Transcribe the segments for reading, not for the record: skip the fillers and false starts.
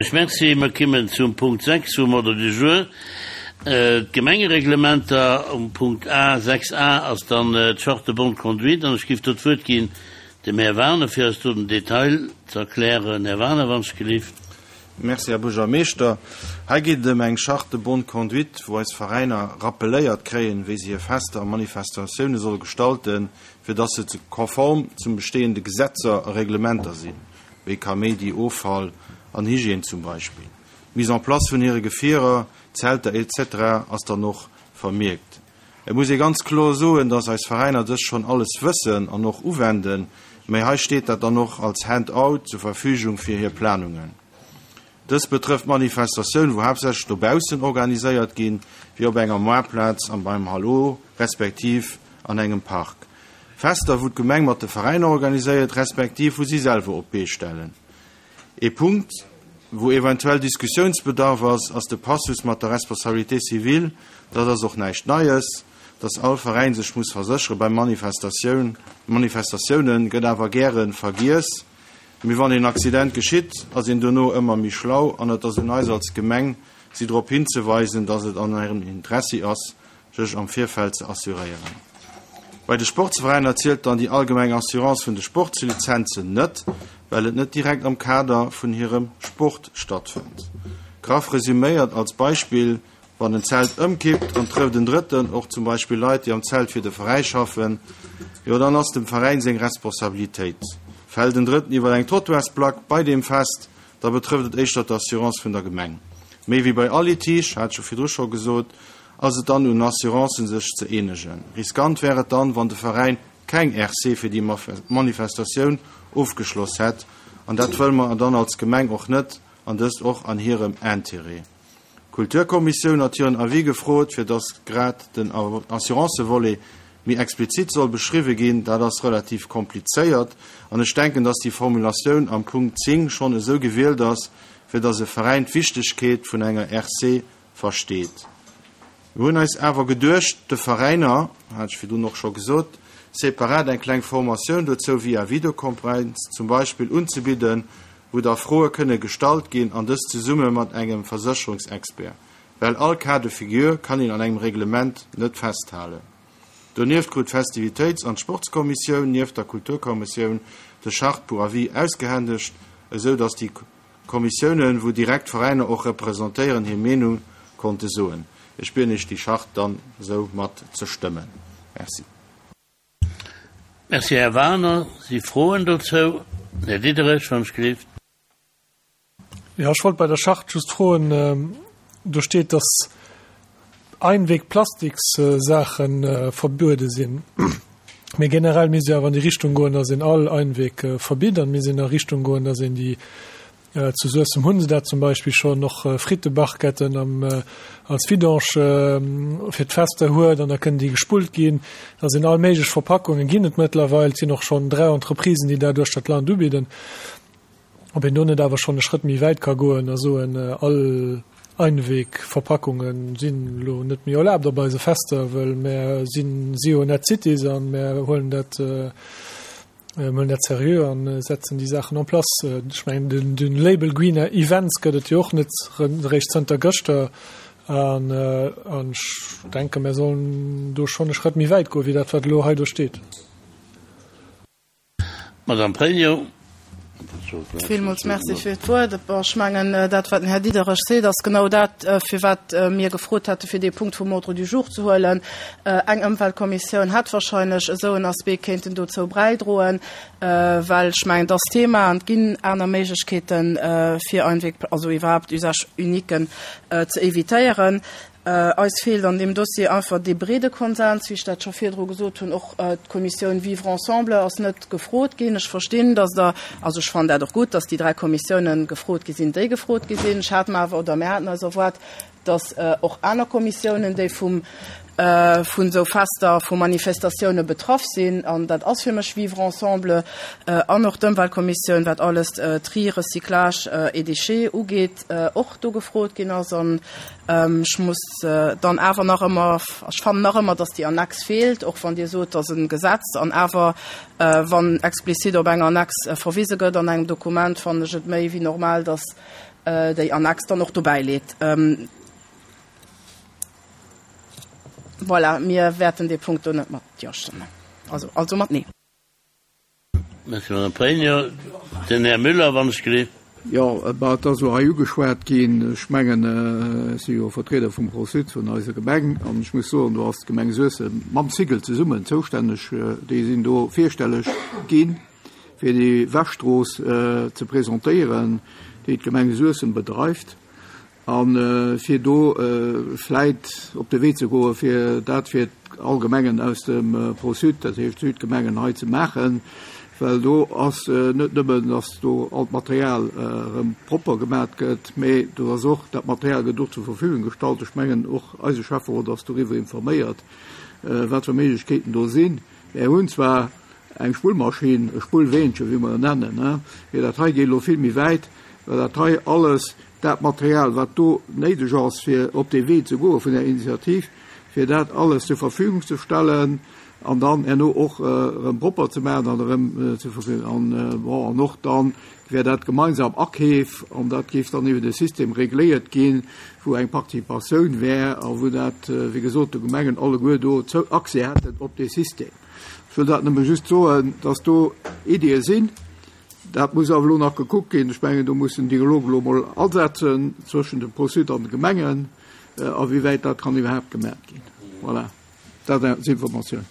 Merci. Mer kimmen zum Punkt 6 vum Ordre du jour, d'Gemengereglementer. Um Punkt A, 6 a ass dann d'Charte de bonne conduite an ech géif do d'Wuert ginn dem Här Wagener, fir eis do den Detail ze erklären. Här Wagener, wann ech gelift. Merci, Här Buergermeeschter. Hei geet et ëm eng Charte de bonne conduite, wou eis Veräiner rappeléiert kréien, wéi se hir Fester a Manifestatioune solle gestalten, fir dass se konform zum bestehende Gesetzer a Reglementer sinn. wéi Kaméidi, Offall an Hygiène zum Beispill. D'Mise en place vun hire Gefierer, Zelter etc. Ass dann och vermierkt. Et muss ee ganz kloer soen, dass eis Veräiner dëst schonn alles wëssen an och uwenden, mä hei steet dat dann och als Hand-out zur Verfügung fir hir Planungen. Dëst betrëfft Manifestatioun wou haaptsächlech dobaussen organiséiert ginn, wéi op enger Moartplaz an beim Hallo respektiv an engem Park. Fester wou d'Gemeng mat de Veräiner organiséiert respektiv wou si selwer op d'Bee stellen. Ee Punkt wou eventuell Diskussiounsbedarf ass, ass de Passus mat der Responsabilité civile. Dat ass och näischt Neies, dass all Veräin sech muss verséchere bei Manifestatioun. Manifestatiounen gëtt awer gäre vergiess. Mee wann een Accident geschitt, ass een dono ëmmer méi schlau an et ass un eis als Gemeng, si drop hinzeweisen, dass et an hirem Interessi ass, sech am Virfeld ze assuréieren. Bei de Sportsveräiner zielt dann déi allgemeng Assurance vun de Sportslizenzen net, well et net direkt am Kader vun hirem Sport stattfënnt. Graff resüméiert als Beispill, Wann en Zelt ëmkippt an trëfft en Drëtten, och zum Beispill Leit, déi am Zelt fir de Veräi schaffen, jo dann ass dem Veräin seng Responsabilitéit. Fält en Drëtten iwwer eng Trottoirsplack bei deem Fest, da betrëfft et éischter d'Assurance vun der Gemeng. Méi wéi bei all Litige, hat ech jo virdru scho gesot, ass et dann un Assurancen sech ze eenegen. Riskant wär et dann, wann de Veräin keng RC fir déi Manifestatioun ofgeschloss hätt, an dat wëlle mer dann als Gemeng och net, an dëst och an hirem Intérêt. D'Kulturkommissioun hat hiren Avis gefrot, fir dass grad den Assurancevolet méi explizit soll beschriwwe ginn. Dat ass relativ komplizéiert an ech denken, dass déi Formulatioun am Punkt 10 schonn esou gewielt ass, fir dass e Veräin d'Wichtegkeet vun enger RC versteet. Mir hunn eis awer geduecht, de Veräiner, hat ech virdrun och scho gesot, separat eng kleng Formatioun dozou via Videokonferenz zum Beispill unzebidden, wou da Froe kënne gestallt ginn, an dëst zesumme mat engem Versécherungsexpert, well all Cas de figure kann een an engem Reglement net festhalen. Donieft krut d'Festivitéits an d'Sportskommissioun nieft der Kulturkommissioun de Charte pour avis ausgehändegt, esou datt déi Kommissiounen, wou direkt d'Veräiner och representéieren, hir Meenung konnte soen. Ech bieden Iech déi Charte dann esou mat ze stëmmen. Merci. Merci, Här Wagener. Si Froen dozou? Här Diderich, wann ech gelift. Jo, ech wollt bei der Charte just froen, do steet, dass Einweg-Plastikssaache verbuede sinn. Mee generell misst jo awer an déi Richtung goen, dass een all Einweg verbitt. An et misst een a Richtung goen, dass een déi Zu Suessem hunn se dat zum Beispill schonn, och Frittebarquetten am als Vidange fir d'Fester huet an da kënnen déi gespullt ginn. Da sinn all méiglech Verpackungen ginn et mëttlerweil. Et sinn och schonn 3 Entreprisen, déi dat uechter d'Land ubidden. Ob een do net awer schonn e Schrëtt méi wäit ka goen a soen, all Einwegverpackunge sinn elo net méi erlaabt op eise Fester, wëll mär sinn Zero Net Cities an mär huelen dat, Mir huelen dat seriö a setzen déi Saachen en place. Ech mengen, den Label Green Events gëtt et jo och net eréischt zënter gëschter. An ech denken, mir sollen do schonn e Schrëtt méi wäit goen, wéi dat, wat elo hei do steet. Madame Pregno. Villmools Merci fir d'Wuert. Bon, ech mengen, dat, wat den Här Diderich seet, ass genau dat, firwat mir gefrot hate fir dee Punkt vum Ordre du jour ze huelen. Eng Ëmweltkommissioun hätt wahrscheinlech esou en Aspect kéinten dozou bräidroen, well ech mengen, et ass Thema an et ginn aner Méiglechkeeten, fir Einweg, also iwwerhaapt Usage uniquen ze évitéieren. Eis feelt an deem Dossier einfach dee breede Konsens, wéi ech dat scho virdru gesot hunn. Och d'Kommissioun Vivre ensemble ass net gefrot ginn. Ech verstinn, dass Der, also ech fannen dat och gutt, dass déi 3 Kommissiounen gefrot gi sinn, déi gefrot gi sinn. Ech hat mer awer, oder mir haten eis erwaart, dass och aner Kommissiounen, déi vum, vun esou Fester, vu Manifestatioune betraff sinn, an dat ass fir mech Vivre ensemble an och d'Ëmweltkommissioun, wat alles Tri, Recyclage et Déchets ugeet, och do gefrot ginn ass. An ech muss dann awer nach ëmmer, ech fannen nach ëmmer, dass déi Annex feelt, och wann Dir sot, dass e Gesetz, an awer wann explizit op eng Annex verwise gëtt an engem Dokument, fannen ech et méi wéi normal, dass. déi Annex dann och dobäi leet. Voilà, mir wäerten dee Punkt do net mat Jo stëmmen, also also mat Nee. Merci, Madame Pregno. Den Här Müller, wann ech gelift. Jo, bah, et ass elo hei ugeschwat ginn. Ech mengen, ech si jo Vertrieder vum Pro-Sud, vun eiser Gemeng, an ech muss soen, do ass d'Gemeng Suessem mam Cigl zesummen zoustänneg. Déi sinn do virstelleg ginn, fir déi Wäschstrooss ze presentéieren, déi d'Gemeng Suessem bedreift. A fir do vläit op de Wee ze goen, fir dat fir all Gemengen aus dem Pro-Sud, dat heescht d'Südgemengen hei ze maachen, well do ass net nëmmen, datt do all d'Material erëm propper gemat gëtt, mä do ass och, dat Material gëtt och zur Verfügung gestallt. Ech mengen, och eise Schäfferot ass doriwwer informéiert, wat fir Méiglechkeeten do sinn. Mär hunn zwar eng Spullmaschinn, e Spullweenchen, wéi mer en nennen, mä dat hei geet elo vill méi wäit, well dat hei alles dat Material, wat do néideg ass, fir op dee Wee ze goe vun där Initiativ, fir dat alles zur Verfügung ze stellen an dann herno och erëm propper ze maachen an erëm zur Verfügung. An, bon, an och dann wär dat gemeinsam Akeef an dat géif dann iwwer e System regléiert ginn, wou eng Participatioun wär a wou dat, wéi gesot, de Gemengen alleguer do Accès hätten op dee System. Ech wëll dat nëmme just soen, dass do Ideeë sinn. Dat muss awer elo nach gekuckt ginn. Ech mengen, do muss den Dialog elo emol asetzen zwëschen dem Pro-Sud an de Gemengen, awéiwäit dat kann iwwerhaapt gemaach ginn. Voilà, dat als Informatioun.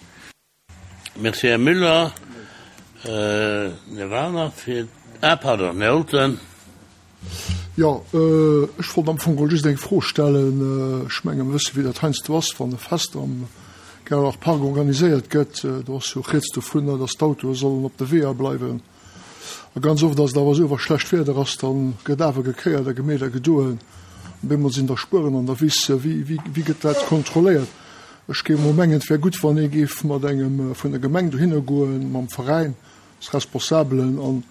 Merci, Här Müller. Här Wagener fir, ah pardon, Här Olten. Jo, ech wollt am Fong just eng Fro stellen. Ech menge mer wësse wéi dat heiansdo ass, wann e Fest am Gerlach Park organiséiert gëtt. Do ass jo rieds dovunner, datt d'Autoe sollen op de Weeër bleiwen. A ganz oft ass et awer esou, wa schlecht Wieder ass, da gëtt awer gekéiert a gemeet a gedoen. Op eemol sinn da Spueren an der Wiss. Wéi, wéi gëtt dat kontrolléiert? Ech géif emol mengen, et wär gutt, wann ee géif mat engem vun der Gemeng dohinner goen, mam Veräin, als Responsabelen an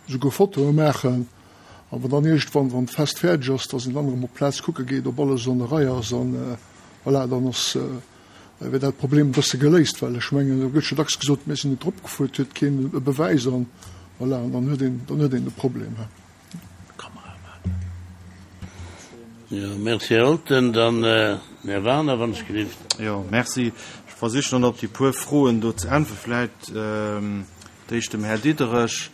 esouguer Fotoe maachen. A wann dann iergendwann, wann d'Fest fäerdeg ass, dass een dann erëm op d'Plaz kucke geet, ob alles an der Rei ass an voilà, dann ass, wär dat Problem e bësse geléist. Well ech mengen, do gëtt jo dacks gesot, mir sinn net drop gefuer, et huet keen e Bewäis an voilà, an dann huet een, dann huet een de Problem. Jo, merci, Här Olten. Dann Här Wagener, wann ech gelift. Jo, merci. Ech versichen dann op déi puer Froen do ze äntweren. Vläicht d'éischt dem Här Diderich.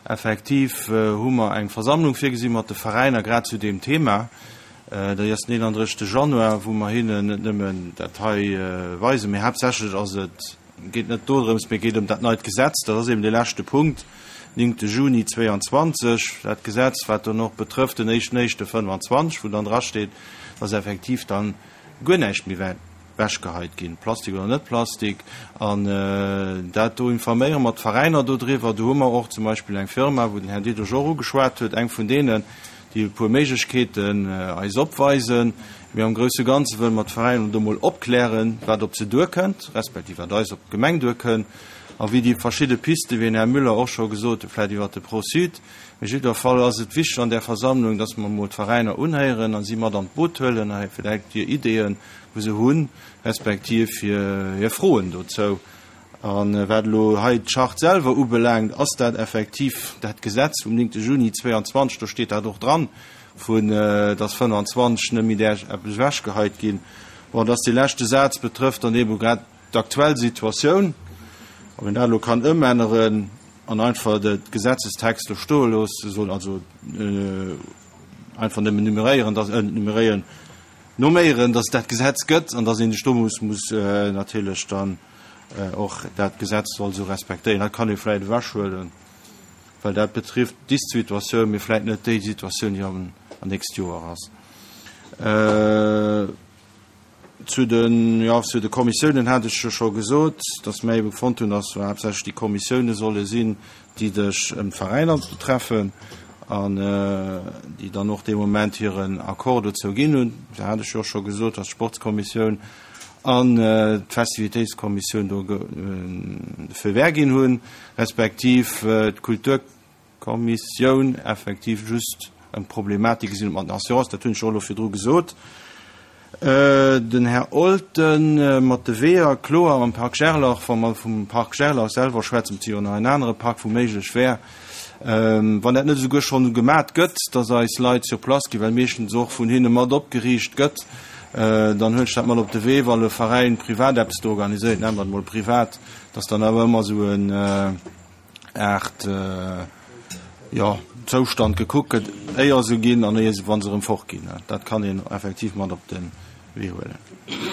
Effektiv hu mer eng Versammlung virgesi mat de Veräiner grad zu deem Thema. Déi ass den 31. Januar, wou mer hinnen net nëmmen dat hei weisen, mee haaptsächlech ass et, geet net dodrëms, mee geet ëm dat neit Gesetz. Dat ass eben dee leschte Punkt, 9. Juni 22, dat Gesetz, wat dann och betrëfft den éischten éischte 25, wou dann drasteet, dass effektiv dann guer näischt méi wäert wechgeheit ginn, Plastik oder net Plastik. An dat do informéiere mer d'Veräiner dodriwwer. Do hu mer och zum Beispill eng Firma, wou den Här Diderich och ugeschwat huet, eng vun deenen, déi e puer Méiglechkeeten eis opweisen. Mee am grousse Ganze wëlle mer d'Veräiner do mol opklären, wat op se duerkënnt, respektiv wat eis op d'Gemeng duerkënnt a wéi déi verschidde Pisten, wéi den Här Müller och scho gesot huet, vläicht iwwert de Pro-Sud. Mee jiddwer Fall ass et wichteg an där Versammlung, dass mer emol d'Veräiner unhéieren a si mat an d'Boot huelen a vläicht hir Ideeën, wou se hunn, respektiv hir Froen dozou. A wat elo hei d'Charte selwer ubelaangt, ass dat effektiv dat Gesetz vum 9. Juni 22, do steet dat och dran, vu dass 25 net méi däerf eppes ewechgeheit ginn. Bon, dass dee leschte Saz betrëfft dann eebe grad d'aktuell Situatioun, ob een dat elo kann ëmänneren an einfach de Gesetzestext do stoe loosse soll, also einfach nëmmen numeréieren, dass, numeréieren, Noméieren, dass et dat Gesetz gëtt an dass een sech do muss, muss natierlech dann och dat Gesetz soll esou respektéieren. Dat kann ee vläicht ewechhuelen, well dat betrifft dis Situatioun, mee vläicht net déi Situatioun, déi am nächst Joer ass. Zu den, jo, zu de Kommissiounen hat ech jo scho gesot, dass mir ebe fonnt hunn, dass haaptsächlech déi Kommissiounen solle sinn, déi sech ëm d'Veräiner betreffen an déi dann och dee Moment hiren Accord dozou ginn hunn. Da hat ech jo och scho gesot, dass d'Sportskommissioun an d'Festivitéitskommissioun do de Feu vert ginn hunn, respektiv d'Kulturkommissioun effektiv just ëm d'Problematik gesinn huet mat den Assurances. Dat hunn ech jo och elo virdru gesot. Den Här Olten mat de Weeër, kloer am Parc Gerlach, wa mer vum Parc Gerlach selwer schwätzen, et si jo nach en anere Park, wou méiglech wär. Wann dat net esouguer schonn gemat gëtt, dass eis Leit sur place ginn, well meeschtens och vun hinne mat opgeriicht gëtt, dann huelen ech dat mat op de Wee, wann e Veräin privat eppes do organiséiert, nennen mer et emol privat, dass dann awer ëmmer esou en Aart, jo, Zoustand gekuckt gëtt, éier se ginn an éier se, wa se erëm fortginn. Dat kann een effektiv mat op de Wee huelen.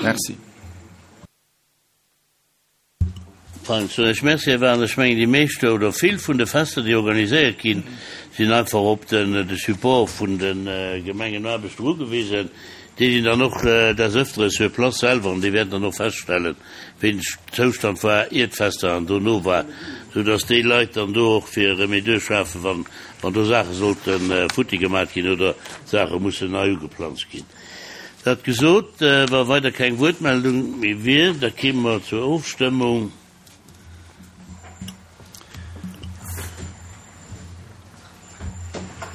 Merci. Fein, soen ech Merci, Här Wagner. Ech mengen, déi meescht oder vill vun de Fester, déi organiséiert ginn, sinn einfach op den de Support vun de Gemengenaarbechter ugewisen. Déi sinn dann och des Öfteren sur place selwer an déi wäerten dann och feststellen, wéi den Zoustand war, ier d'Fester an dono war, soudass déi Leit dann do och fir Remédieu schafen, wann wann do Saache sollte futti gemaat ginn oder Saache mussen nei ugeplanzt ginn. Dat gesot, wa weider keng Wuertmeldung méi wier, da kéime mer zur Ofstëmmung.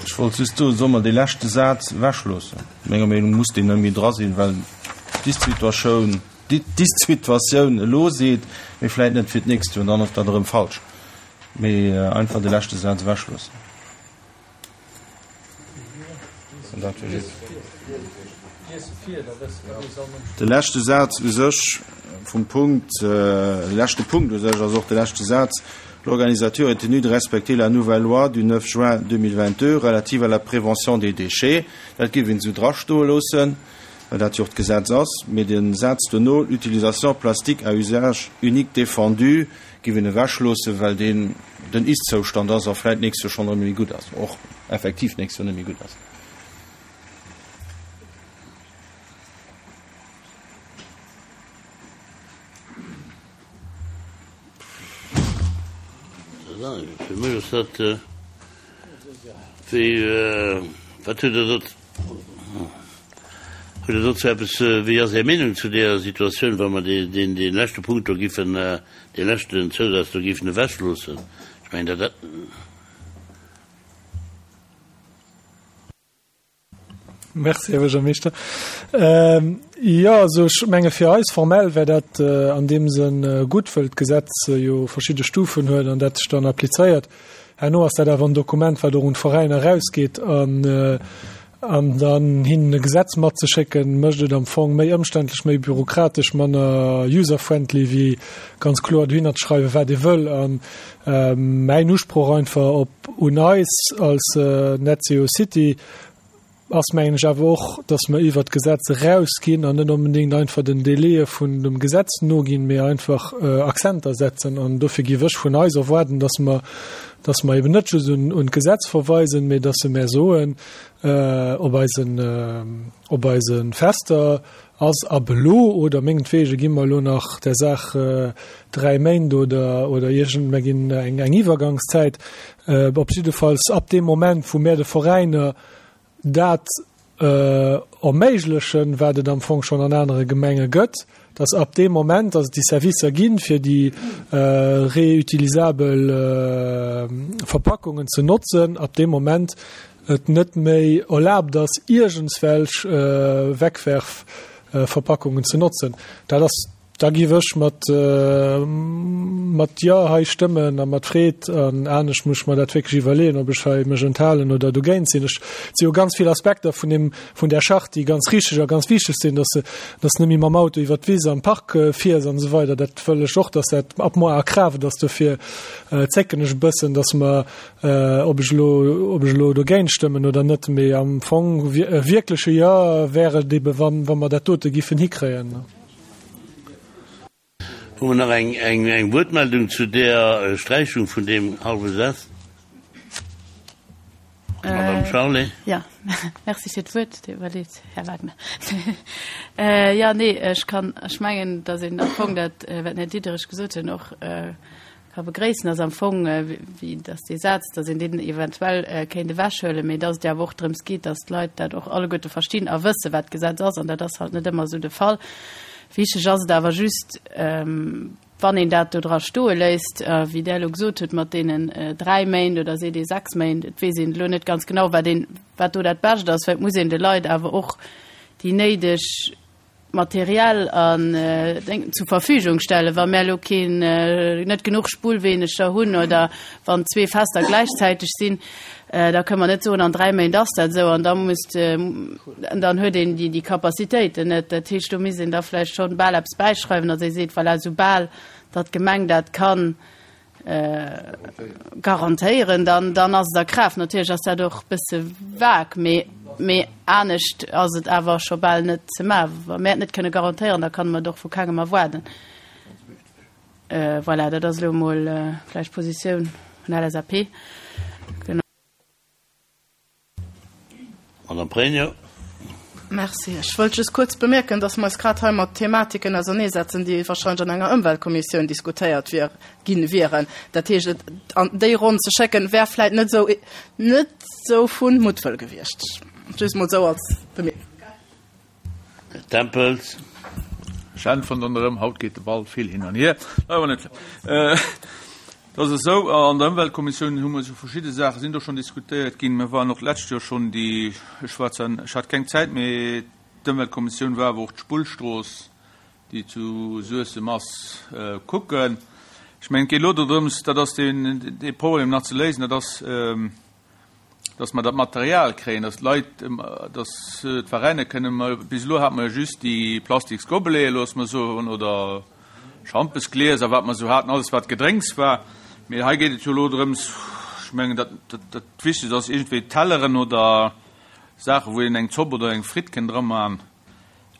Ech wollt just soen, solle mer dee leschte Saz ewechloossen? Menger Meenung no muss deen net méi dra sinn, well d'Ist-Situatioun, d'Ist-Situatioun elo seet, mee vläit net fir d'nächst Joer, dann ass dat erëm falsch. Mee einfach de leschte Saz ewechloossen. De leschte Saz u sech vum Punkt, de leschte Punkt u sech ass och de leschte Saz, L'organisateur est tenu de respecter la nouvelle loi du 9 juin 2022 relative à la prévention des déchets. Dat géif een esou drastoe loossen, well dat jo och d'Gesetz ass. Mee de Saz dono, L'utilisation plastique à usage unique défendue, Giff een ewech loossen, well deen den Ist-Zoustand ass a vläit d'nächst Joer schonn erëm méi gutt ass, och effektiv d'nächst Joer net méi gutt ass. Fir mech ass dat wéi, wat huet Der dot, hutt Der dozou eppes, wéi ass Är Meenung zu deeër Situatioun, wa mer deen, dee leschte Punkt do giffen, dee leschten Zousaz do giffen ewechloossen? Ech mengen, dat. Merci, Här Buergermeeschter. Jo, also ech menge fir eis formell wär dat an deem Sënn gutt, wëll d'Gesetz jo verschidde Stufen huet an dat sech dann applizéiert. Herno ass dat awer en Dokument, wat och un d'Veräiner erausgeet an an dann hinnen e Gesetz matzeschécken, mécht et am Fong méi ëmständlech, méi bürokratesch, manner user-friendly wéi ganz kloer dohinner ze schreiwen, wat ee wëll. An mäin Usproch einfach op un eis als NetZeroCity ass, mengen ech, awer och, dass mer iwwert d'Gesetz erausginn an net onbedéngt einfach den Délaië vun dem Gesetz noginn, mee einfach Akzenter setzen. An dofir géif ech vun eis erwaarden, dass mer, dass mer eben net just un d'Gesetz verweisen, mee dass se mer soen, op eisen, op eise Fester ass ab elo oder mengetwege gi mer elo nach der Saach 3 Méint oder, oder iergend, mer ginn eng, eng Iwwergangszäit. Op jiddefalls ab deem Moment, wou mär de Veräiner dat erméiglechen, wat et am Fong schonn an anere Gemenge gëtt, dass ab deem Moment, dass et déi Servicer ginn, fir déi reutilisabel Verpackungen ze notzen, ab deem Moment et net méi erlaabt ass, iergendswelch Wegwerfverpackungen ze notzen. Dat ass, da giff ech mat, mat Jo hei stëmmen a mat Freed. An anescht muss ech mer dat wierklech iwwerleeën, ob ech hei mech enthalen oder dogéint sinn. Ech, et si jo ganz vill Aspekter vun deem, vun där Charte, déi ganz richteg a ganz wichteg sinn, dass se, dass net méi mam Auto iwwert d'Wiss am Park fiers an esou weider. Dat wëll ech och, dass dat ab moar a Kraaft ass. Dofir zécken ech e bëssen, dass mer, Ob ech elo, ob ech elo dogéint stëmmen oder net, mee am Fong e wierkleche Jo wär et ebe wann, wa mer dat dote giffen hikréien. Hu mer nach eng, eng, eng Wuertmeldung zu där Sträichung vun deem hallwe Saz? Madame Charlé. Jo, merci fir d'Wuert, Dir iwwerleet, Här Wagner. Jo, nee, ech kann, ech mengen, datt een am Fong dat, wat den Här Diderich gesot huet, och ka begréissen, ass am Fong, wéi dass dee Saz, dass een deen eventuell kéint ewechhuelen, mee dass et jo awer och drëms geet, dass d'Leit dat och alleguerte verstinn a wëssen, wat d'Gesetz ass. An dat ass halt net ëmmer esou de Fall. Wichteg ass et awer just, wann een dat do dra stoe léisst, wéi Der elo gesot hutt, mat deenen dräi Méint oder seet ee sechs Méint, et weess een elo net ganz genau, wat een, wat do dat Bescht ass, well et muss een de Leit awer och déi néideg. Material an zur Verfügung stellen, wa mär elo keen, net genuch Spullweeneger hunn oder wann zwee Fester gläichzäiteg sinn, da kënne mer net soen, an 3 Méint ass dat esou an da muss, dann huet een déi Capacitéiten net. Dat heescht, do misst een da vläicht schonn bal eppes bäischreiwen, datt ee seet, voilà, soubal datt d'Gemeng dat kann garantéieren, dann, dann ass et a Kraaft. Natierlech ass dat och e bësse vag, mee, mee anescht ass et awer scho bal net ze maachen. Wa mär et net kënne garantéieren, da kann mer et och vu kengem erwaarden. Voilà, dat ass elo emol vläicht d'Positioun vun LSAP. Genau. Madame Pregno. Merci. Ech wëllt just kuerz bemierken, dass mer eis grad hei mat Thematiken auserneesetzen, déi wahrscheinlech an enger Ëmweltkommissioun diskutéiert wier, ginn wieren. Dat heescht, et an déi Ronn ze schécken, wär vläit net esou, net esou vu Muttwëll gewiescht. Just mol esou als Bemierkung. Här Tempels. Ech äntweren dann erëm, haut geet de Ball vill hin an hier. Awer net schlëmm. Et ass esou, an der Ëmweltkommissioun hu mer esou verschidde Saache sinn do schonn diskutéiert ginn. Mir waren och d'lescht Joer schonn déi, ech war zwar, ech hat keng Zäit, mee d'Ëmweltkommissioun war awer och d'Spullstrooss, déi zu Suessem ass, kucken. Ech mengen, et geet elo dodrëms, dat ass deen, dee Problem nach ze léisen, dat ass, dass mer dat Material kréien, dass d'Leit, dass d'Veräiner kënnen, mer, bis elo hate mer jo just déi plastiks Gobeleten, loosse mer soen, oder Schampesglieser, wat mer esou haten, alles wat Gedrénks war. Mee hei geet et jo elo drëms, ech mengen, dat, dat, dat Wichtegst ass iergendwéi Telleren oder Saachen, wou een eng Zopp oder eng Fritt kënn dra man.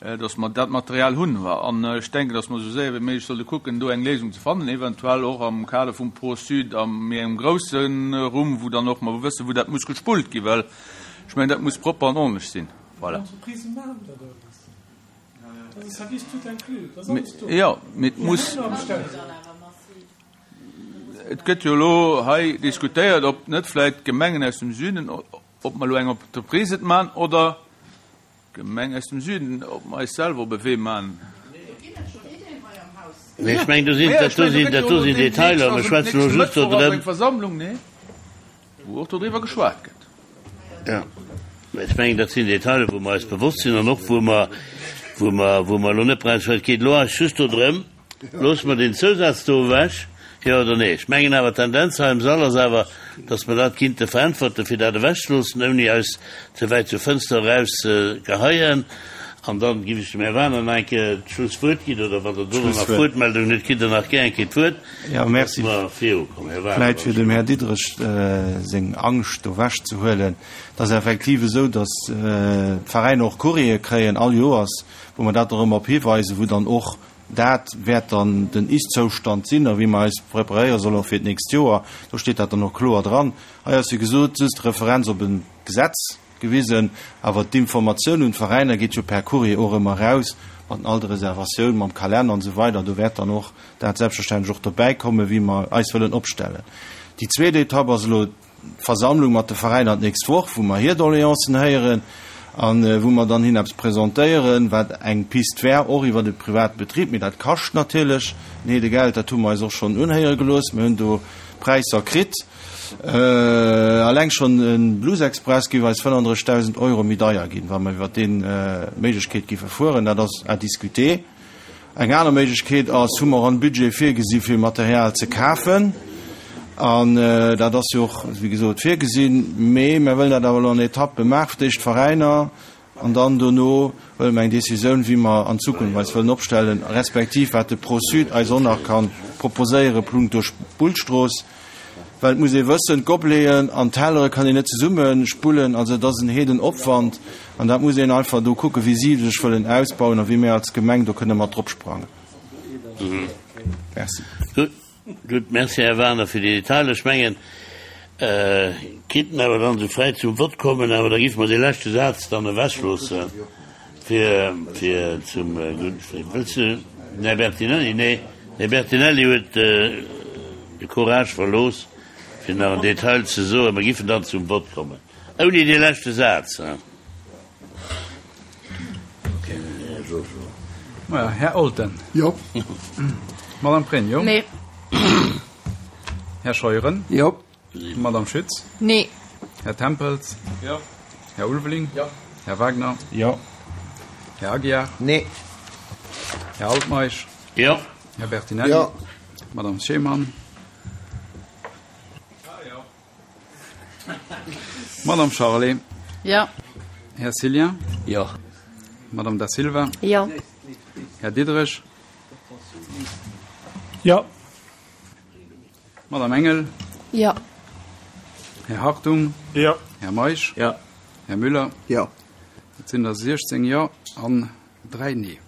dass mer dat Material hunn. An ech denken, dass mer esou séier wéi méiglech sollte kucken, do eng Léisung ze fannen, eventuell och am Kader vum Pro-Sud a méi engem grousse Rumm, wou dann och mer wëssen, wou dat muss gespullt ginn, well ech mengen, dat muss propper an ordentlech sinn. Voilà. Jo, mee et muss. Et gëtt jo elo hei diskutéiert, ob net vläicht d'Gemengen aus dem Süden, ob mer elo eng Entreprise et maachen oder Gemeng aus dem Süden, ob mer eis selwer op e Wee man. Nee, ech mengen, do sinn, dat do sinn, dat do sinn Detailer. Mir schwätzen elo just do drëm. Eng Versammlung, nee, wou och dodriwwer geschwat gëtt. Jo, mä ech mengen, dat sinn Detailer, wou mer eis bewosst sinn an och wou mer, wou mer, wou mer elo net brauchen. Et geet elo eis just do drëm, Loosse mer deen Zousaz do ewech, jo oder nee? Ech mengen awer, d'Tendenz hei am Sall ass awer, dass mer dat kinnte veräntwerten, fir dat ewechzeloossen, ouni eis ze wäit zur Fënster eraus ze geheien. An dann giff ech dem Här Wagener nach eng Kéier d'Schlusswuert ginn, oder wann Der do nach Wuertmeldungen hutt, kritt Der nach gär eng Kéier d'Wuert, Jo, merci. dass mer virukommen. Här Wagener, Vläit fir dem Här Diderich seng Angscht do ewechzehuelen, Et ass effektiv esou, dass d'Veräiner och Courriere kréien all Joers, wou mer dat och ëmmer op hiweisen, wou dann och Dat wäert dann den Ist-Zoustand sinn a wéi mer eis preparéiere sollen och fir d'nächst Joer. Do steet dat dann och kloer dran. Hei ass, wéi gesot, just Referenz op e Gesetz gewisen, awer d'Informatioun un d'Veräiner geet jo per Courrier och ëmmer eraus, mat all de Reservatioun, mam Kalenner an esou weider. Do wäert dann och dat selbstverständlech och dobäi kommen, wéi mer eis wëllen opstellen. Déi zweet Etapp ass elo D'Versammlung mat de Veräiner d'nächst Woch, wou mer hir Doléancen héieren a wou mer dann hinnen eppes presentéieren, wat eng Pist wär, och iwwert e private Betrib. Mee dat kascht natierlech en Heede Geld. Dat hu mer eis och schonn unhéiere gelooss. Mir hunn do Präisser kritt. Alleng schonn e Blues Express géif eis 35.000 Euro méi deier ginn, wa mer iwwert déi Méiglechkeet géife fueren. Dat ass à discuter. Eng aner Méiglechkeet ass, hu mer am Budget virgesi fir Material ze kafen, an dat ass jo och, wéi gesot, virgesinn, mee mer wëllen dat awer elo an Etappe maachen, fir d'éischt d'Veräiner an dann dono huele mer eng Décisioun, wéi mer an Zukunft eis wëllen opstellen, respektiv wat de Pro-Sud eis och nach ka proposéiere punkto Spullstrooss. Well et muss ee wëssen, d'Gobeleten an d'Tellere kann een net zesumme spullen, also et ass en heeden Opwand an dat muss een einfach do kucken, wéi si sech wëllen ausbauen a wéi mir als Gemeng do kënne mat drop sprangen. Merci. Gutt, gutt, merci Här Wagener fir déi Detailer. Ech mengen, kinnten awer dann esou fräi zum Vott kommen, awer da géife mer dee leschte Saz dann ewechloossen, fir, fir zum, gutt, wëlls du, den Här Bertinelli? Nee. De Bertinelli huet de Courage verlooss, fir nach en Detail ze soen. Mer giffen dann zum Vott kommen. Ouni dee leschte Saz, hein. Här Olten. Jo. Madame Pregno. Nee. Här Scheuren. Jo. Madame Schütz. Nee. Här Tempels. Jo. Här Ulveling. Jo. Här Wagner. Jo. Här Aguiar. Nee. Här Altmeisch. Jo. Här Bertinelli. Jo. Madame Schemann. Madame Charlé. Jo. Här Cillien. Jo. Madame Da Silva. Jo. Här Diderich. Jo. Madame Engel. Jo. Här Hartung. Jo. Här Meisch. Jo. Här Müller. Jo. Et sinn der 16 Jo an 3 Nee.